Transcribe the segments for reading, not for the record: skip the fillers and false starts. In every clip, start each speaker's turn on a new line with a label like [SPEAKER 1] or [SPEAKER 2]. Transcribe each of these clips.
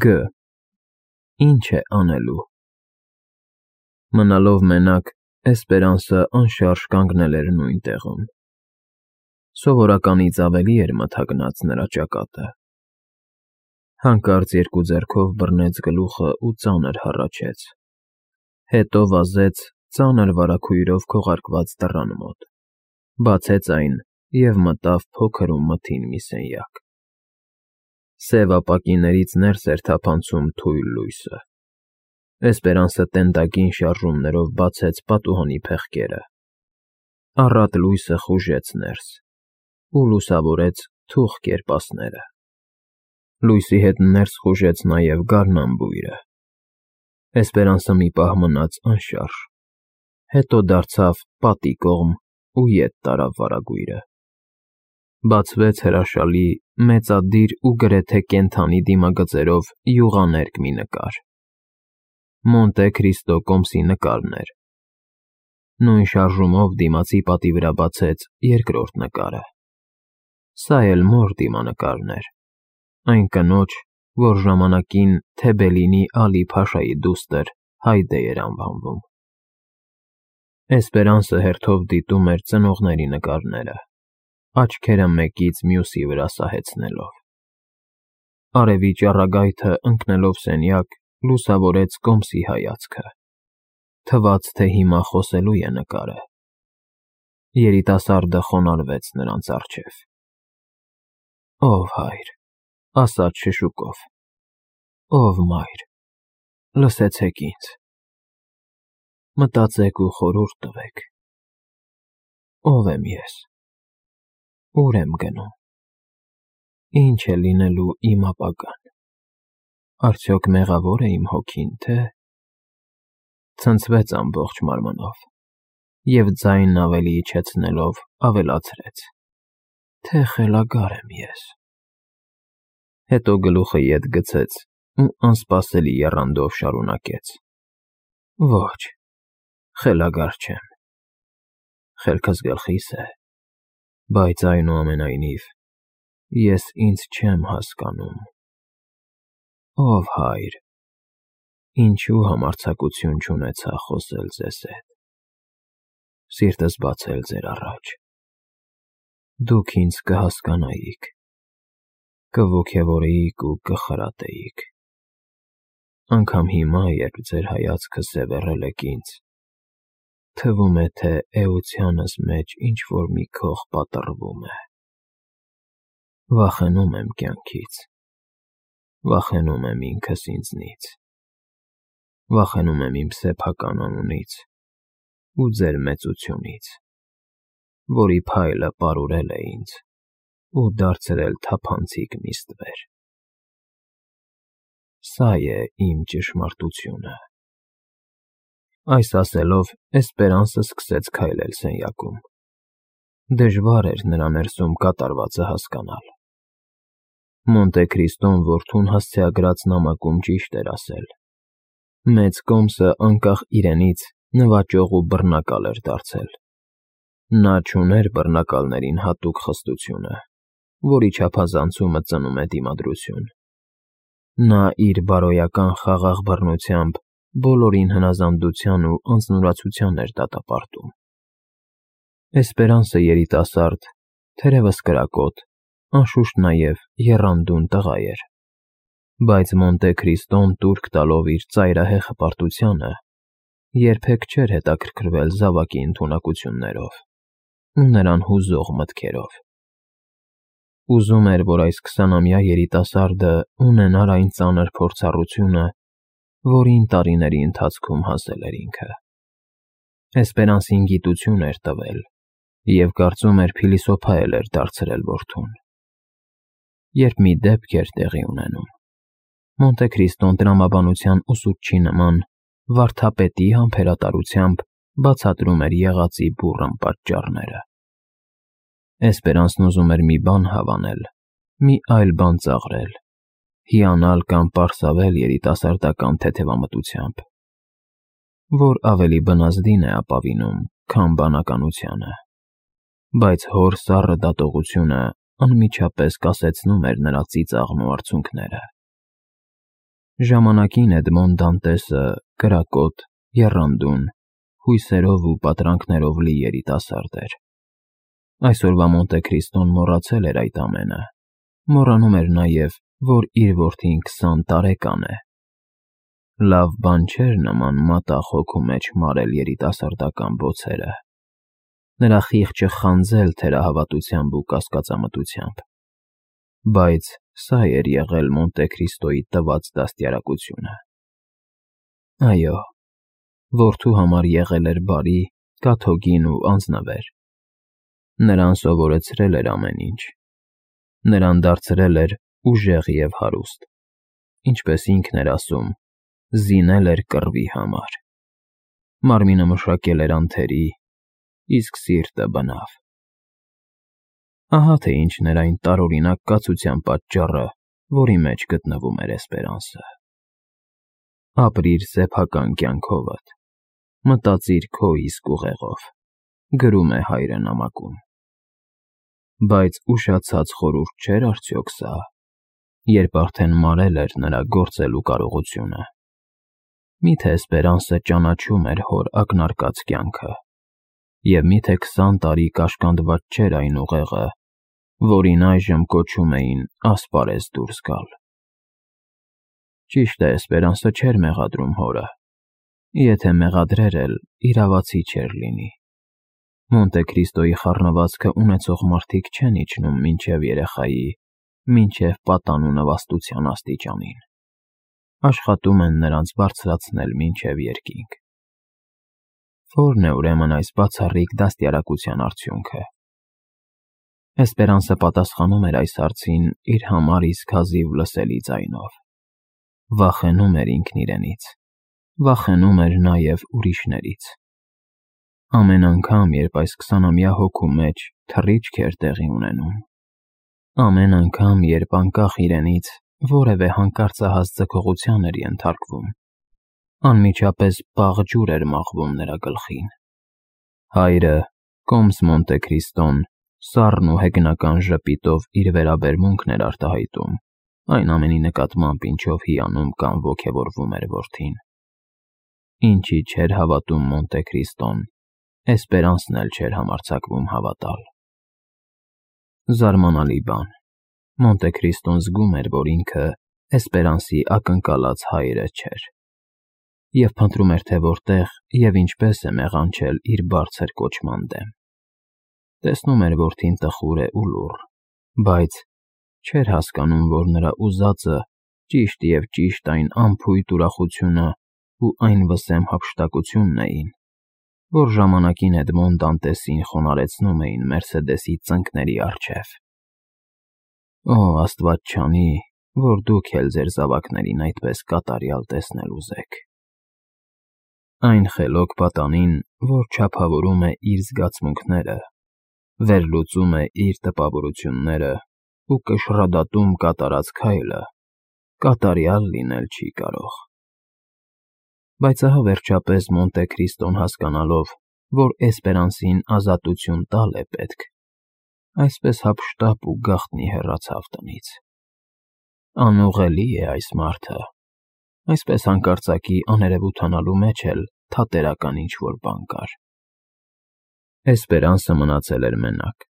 [SPEAKER 1] Գ. Ինչ է անելու։ Մնալով մենակ, Էսպերանսը անշարժ կանգնել էր նույն տեղում։ Սովորականից ավելի էր մթագնած նրա ճակատը։ Հանկարծ երկու ձեռքով բռնեց գլուխը ու ծանր հառաչեց։ Հետո վազեց ծանր վարագույրով քողարկված դռան մոտ, բացեց այն և մտավ փոքր ու մթին մի սենյակ։ Սև ապակիներից ներս էր թափանցում թույլ լույսը։ Էսպերանսը տենդագին շարժումներով բացեց պատուհանի փեղկերը։ Առատ լույսը խուժեց ներս ու լուսավորեց թուխ կերպասները։ Լույսի հետ ներս խուժեց նաև գարնան բույրը։ Էսպերանսը մի պահ մնաց անշարժ, հետո դարձավ պատի կողմ ու ետ տարավ վարագույրը։ Բացվեց հրաշալի, մեծադիր ու գրեթե կենդանի դիմագծերով յուղաներկ մի նկար։ Մոնտե Քրիստո կոմսի նկարն էր։ Նույն շարժումով դիմացի պատի վրա բացեց երկրորդ նկարը։ Սա էլ մոր դիմանկարն էր, այն կնոջ, որ ժամանակին Թեբելինի Ալի Փաշայի դուստր Հայդե էր անվանվում։ Էսպերանսը հերթով դիտում էր ծնողների նկարները, աչքերը մեկից մյուսի վրա սահեցնելով։ Արևի ճառագայթը ընկնելով սենյակ, լուսավորեց կոմսի հայացքը։ Թվաց, թե հիմա խոսելու է նկարը։ Երիտասարդը խոնարհվեց նրանց առջև։ Ով հայր, ասաց շշուկով, ով մայր, լսեցեք ինձ, մտածեք ու խորհուրդ տվեք։ Ով եմ ես, ուր եմ գնում, ինչ է լինելու իմ ապագան, արդյոք մեղավոր է իմ հոգին, թե… Ցնցվեց ամբողջ մարմնով և ձայնն ավելի իջեցնելով ավելացրեց, թե խելագար եմ ես։ Հետո գլուխը ետ գցեց ու անսպասելի եռանդով շարունակեց. Ոչ, խելագար չեմ, խելքս գլխիս է, բայց այնուամենայնիվ ես ինձ չեմ հասկանում։ Ով հայր, ինչու համարձակություն չունեցա խոսել ձեզ հետ, սիրտս բացել ձեր առաջ։ Դուք ինձ կհասկանայիք, կոգևորեիք ու կխրատեիք։ Անգամ հիմա, երբ ձեր հայացքը սևեռել եք ինձ, թվում է, թե էությանս մեջ ինչ-որ մի քող պատռվում է։ Վախենում եմ կյանքից, վախենում եմ ինքս ինձնից, վախենում եմ իմ սեփական անունից ու ձեր մեծությունից, որի փայլը պարուրել է ինձ ու դարձրել թափանցիկ մի ստվեր։ Սա է իմ ճշմարտությունը։ Այս ասելով, Էսպերանսը սկսեց քայլել սենյակում։ Դժվար էր նրա ներսում կատարվածը հասկանալ։ Մոնտե Քրիստոն որդուն հասցեագրած նամակում ճիշտ էր ասել։ Մեծ կոմսը անկախ իրենից նվաճող ու բռնակալ էր դարձել։ Նա չուներ բռնակալներին հատուկ խստությունը, որի չափազանցումը ծնում է դիմադրություն։ Նա իր բարոյական խաղաղ բռնությամբ բոլորին հնազանդության ու անձնուրացության էր դատապարտում։ Էսպերանսը երիտասարդ, թերևս կրակոտ, անշուշտ նաև եռանդուն տղա էր, բայց Մոնտե Քրիստոն տուրք տալով իր ծայրահեղ հպարտությանը, երբեք չէր հետաքրքրվել զավակի ընդունակություններով ու նրան հուզող մտքերով։ Ուզում էր, որ այս 20-ամյա երիտասարդը ունենար այն ծանր փորձառությունը, որին տարիների ընթացքում հասել էր ինքը։ Էսպերանսին գիտություն էր տվել և կարծում էր փիլիսոփա էր դարձրել որդուն։ Երբ մի դեպք էր տեղի ունենում, Մոնտե Քրիստոն տրամաբանության ուսուցչի նման վարդապետի համբերատարությամբ բացատրում էր եղածի բուռն պատճառները։ Էսպերանսն ուզում էր մի բան հավանել, մի այլ բան ծաղրել, հիանալ կամ պարսավել երիտասարդական թեթևամտությամբ, որ ավելի բնազդին է ապավինում, քան բանականությանը, բայց հոր սառը դատողությունը անմիջապես կասեցնում էր նրա ծիծաղն ու արցունքները։ Ժամանակին Էդմոն Դանտեսը կրակոտ, եռանդուն, հույսերով ու պատրանքներով լի երիտասարդ էր։ Այսօրվա Մոնտե Քրիստոն մոռացել էր այդ ամենը, մոռանում էր նաև, որ իր որդին 20 տարեկան է։ Լավ բան չէր նման մատաղ հոգու մեջ մարել երիտասարդական բոցերը, նրա խիղճը խանձել թերահավատությամբ ու կասկածամտությամբ։ Բայց սա էր եղել Մոնտե Քրիստոյի տված դաստիարակությունը։ Այո, որդու համար եղել էր բարի, կաթոկին ու անձնվեր։ Նրան սովորեցրել էր ամեն ինչ։ Նրան դարձրել էր ուժեղ և հարուստ, ինչպես ինքն էր ասում, զինել էր կռվի համար։ Մարմինը մշակել էր անթերի, իսկ սիրտը բնավ։ Ահա թե ինչն էր այն տարօրինակ կացության պատճառը, որի մեջ գտնվում էր Էսպերանսը։ Ապրիր սեփական կյանքովդ, մտածիր քո իսկ ուղեղով, գրում է հայրը նամակում։ Բայց ուշացած խորհուրդ չէր արդյոք սա, երբ արդեն մարել էր նրա գործելու կարողությունը։ Միթե Էսպերանսը ճանաչում էր հոր ակնարկած կյանքը, և միթե 20 տարի կաշկանդված չէր այն ուղեղը, որին այժմ կոչում էին ասպարեզ դուրս գալ։ Ճիշտ է, Էսպերանսը չէր մեղադրում հորը, եթե մեղադրեր էլ, իրավացի չէր լինի։ Մոնտե Քրիստոյի խառնվածքը ունեցող մարդիկ չեն իջնում մինչև երեխայի, մինչև պատանու նվաստության աստիճանին։ Աշխատում են նրանց բարձրացնել մինչև երկինք։ Ո՞րն է ուրեմն այս բացառիկ դաստիարակության արդյունքը։ Էսպերանսը պատասխանում էր այս հարցին իր համար իսկ հազիվ լսելի ձայնով։ Վախենում էր ինքն իրենից, վախենում էր նաև ուրիշներից։ Ամեն անգամ, երբ այս 20-ամյա հոգու մեջ թռիչք էր տեղի ունենում, ամեն անգամ, երբ անկախ իրենից որևէ հանկարծահաս ձգողության էր ենթարկվում, անմիջապես պաղ ջուր էր մաղվում նրա գլխին։ Հայրը, կոմս Մոնտե Քրիստոն, սառն ու հեգնական ժպիտով իր վերաբերմունքն էր արտահայտում այն ամենի նկատմամբ, ինչով հիանում կամ ոգևորվում էր որդին։ Ինչի չէր հավատում Մոնտե Քրիստոն, Էսպերանսն էլ չէր համարձակվում հավատալ։ Զարմանալի բան, Մոնտե Քրիստոն զգում էր, որ ինքը Էսպերանսի ակնկալած հայրը չէր, և փնտրում էր, թե որտեղ և ինչպես է մեղանչել իր բարձր կոչման դեմ։ Տեսնում էր որդին տխուր է ու լուռ, բայց չէր հասկանում, որ նրա ուզածը ճիշտ և ճիշտ այն անփույթ ուրախությունը ու այն վսեմ հափշտակությունն էին, որ ժամանակին Էդմոն Դանտեսին խոնարհեցնում էին Մերսեդեսի ծնկների առջև։ Օ, Աստված չանի, որ դուք էլ ձեր զավակներին այդպես կատարյալ տեսնել ուզեք։ Այն խելոք պատանին, որ չափավորում է իր զգացմունքները, վերլուծում է իր տպավորությունները ու կշռադատում կատարած քայլը, կատարյալ լինել չի կարող։ Բայց ահա վերջապես Մոնտե Քրիստոն հասկանալով, որ Էսպերանսին ազատություն տալ է պետք, այսպես հափշտապ ու գաղտնի հեռացավ տնից։ Անուղղելի է այս մարդը, այսպես հանկարծակի աներևութանալու մեջ էլ թատերական ինչ-որ բան կար։ Էսպերանսը մնացել էր մենակ,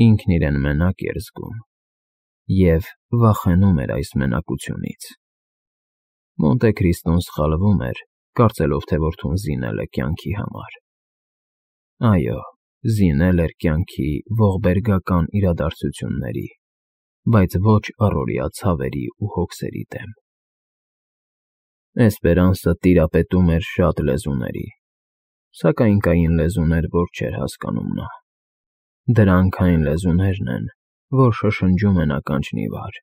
[SPEAKER 1] ինքն իրեն մենակ էր զգում և վախենում էր այս մենակությունից։ Մոնտե Քրիստոն սխալվում էր, կարծելով, թե որդուն զինել է կյանքի համար։ Այո, զինել էր կյանքի ողբերգական իրադարձությունների, բայց ոչ առօրյա ցավերի ու հոգսերի դեմ։ Էսպերանսը տիրապետում էր շատ լեզուների, սակայն կային լեզուներ, որ չէր հասկանում նա։ Դրանք այն լեզուներն են, որ շշնջում են ականջն ի վար,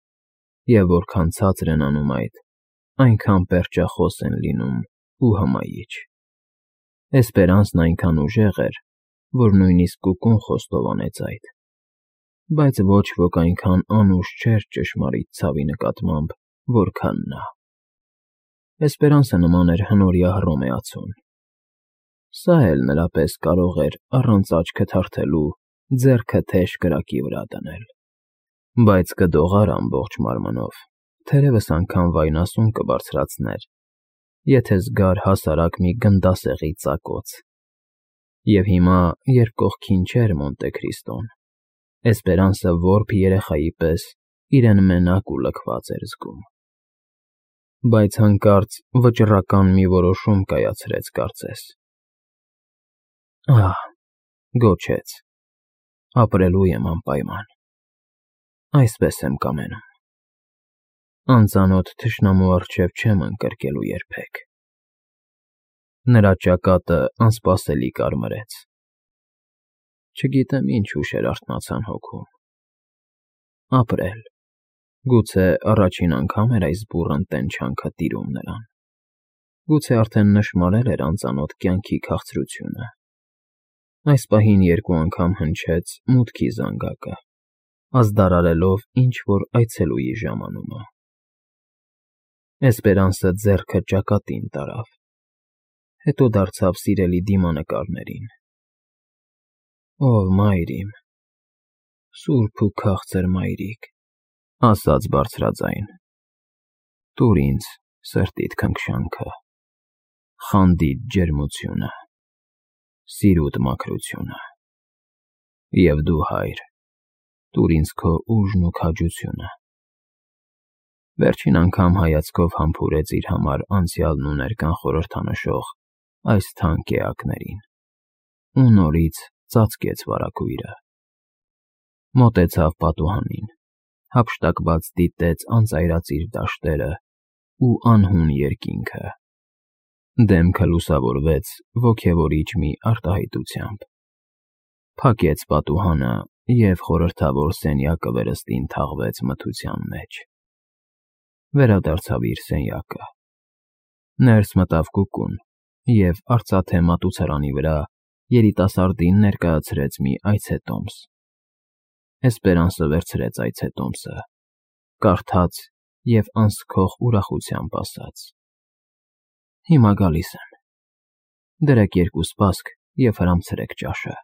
[SPEAKER 1] և որքան ցածր են անում այդ, այնքան պերճախոս են լինում ու հմայիչ։ Էսպերանսն այնքան ուժեղ էր, որ նույնիսկ կուկուն խոստովանեց այդ, բայց ոչ ոք այնքան անուշ չէր ճշմարիտ ցավի նկատմամբ, որքան նա։ Էսպերանսը նման էր հնորյա հռոմեացուն։ Սա էլ նրա պես կարող էր առանց աչքը թարթելու ձեռքը թեժ կրակի վրա դնել, բայց կդողար ամբողջ մարմնով թերևս անգամ վայնասուն կբարձրացներ, եթե զգար հասարակ մի գնդասեղի ծակոց։ Եվ հիմա, երբ կողքին չէր Մոնտե Քրիստոն, Էսպերանսը որբ երեխայի պես իրեն մենակ ու լքված էր զգում։ Բայց հանկարծ վճռական մի որոշում կայացրեց կարծես։ Ահ, գոչեց, ապրելու եմ անպայման, այսպես եմ կամենում, անծանոթ թշնամու առջև չեմ ընկրկելու երբեք։ Նրա ճակատը անսպասելի կարմրեց։ Չգիտեմ ինչ հուշեր արթնացան հոգում։ Ապրել, գուցե առաջին անգամ էր այս բուռն տենչանքը տիրում նրան։ Գուցե արդեն նշմարել էր անծանոթ կյանքի քաղցրությունը։ Այս պահին երկու անգամ հնչեց մուտքի զանգակը, ազդարարելով ինչ-որ այցելուի ժամանումը։ Էսպերանսը ձեռքը ճակատին տարավ, հետո դարձավ սիրելի դիմանկարներին։ Ով մայր իմ, սուրբ ու քաղցր մայրիկ, ասաց բարձրաձայն, տուր ինձ սրտիդ քնքշանքը, խանդիդ ջերմությունը, սիրուտ մաքրությունը, և դու, հայր, տուր ինձ քո ուժն ու քաջությունը։ Վերջին անգամ հայացքով համբուրեց իր համար անցյալն ու ներկան խորհրդանշող այս թանկ էակներին ու նորից ծածկեց վարագույրը։ Մոտեցավ պատուհանին, հափշտակված դիտեց անծայրածիր դաշտերը ու անհուն երկինքը։ Դեմքը լուսավորվեց ոգևորիչ մի արտահայտությամբ։ Փակեց պատուհանը և խորհրդավոր սենյակը վերստին թաղվեց մթության մեջ։ Վերադարձավ իր սենյակը։ Ներս մտավ կուկուն և արծաթե մատուցարանի վրա երիտասարդին ներկայացրեց մի այցետոմս։ Էսպերանսը վերցրեց այցետոմսը, կարդաց և անսքող ուրախությամբ ասաց. Հիմա գալիս եմ։ Դրեք երկու սպասք և հրամցրեք ճաշը։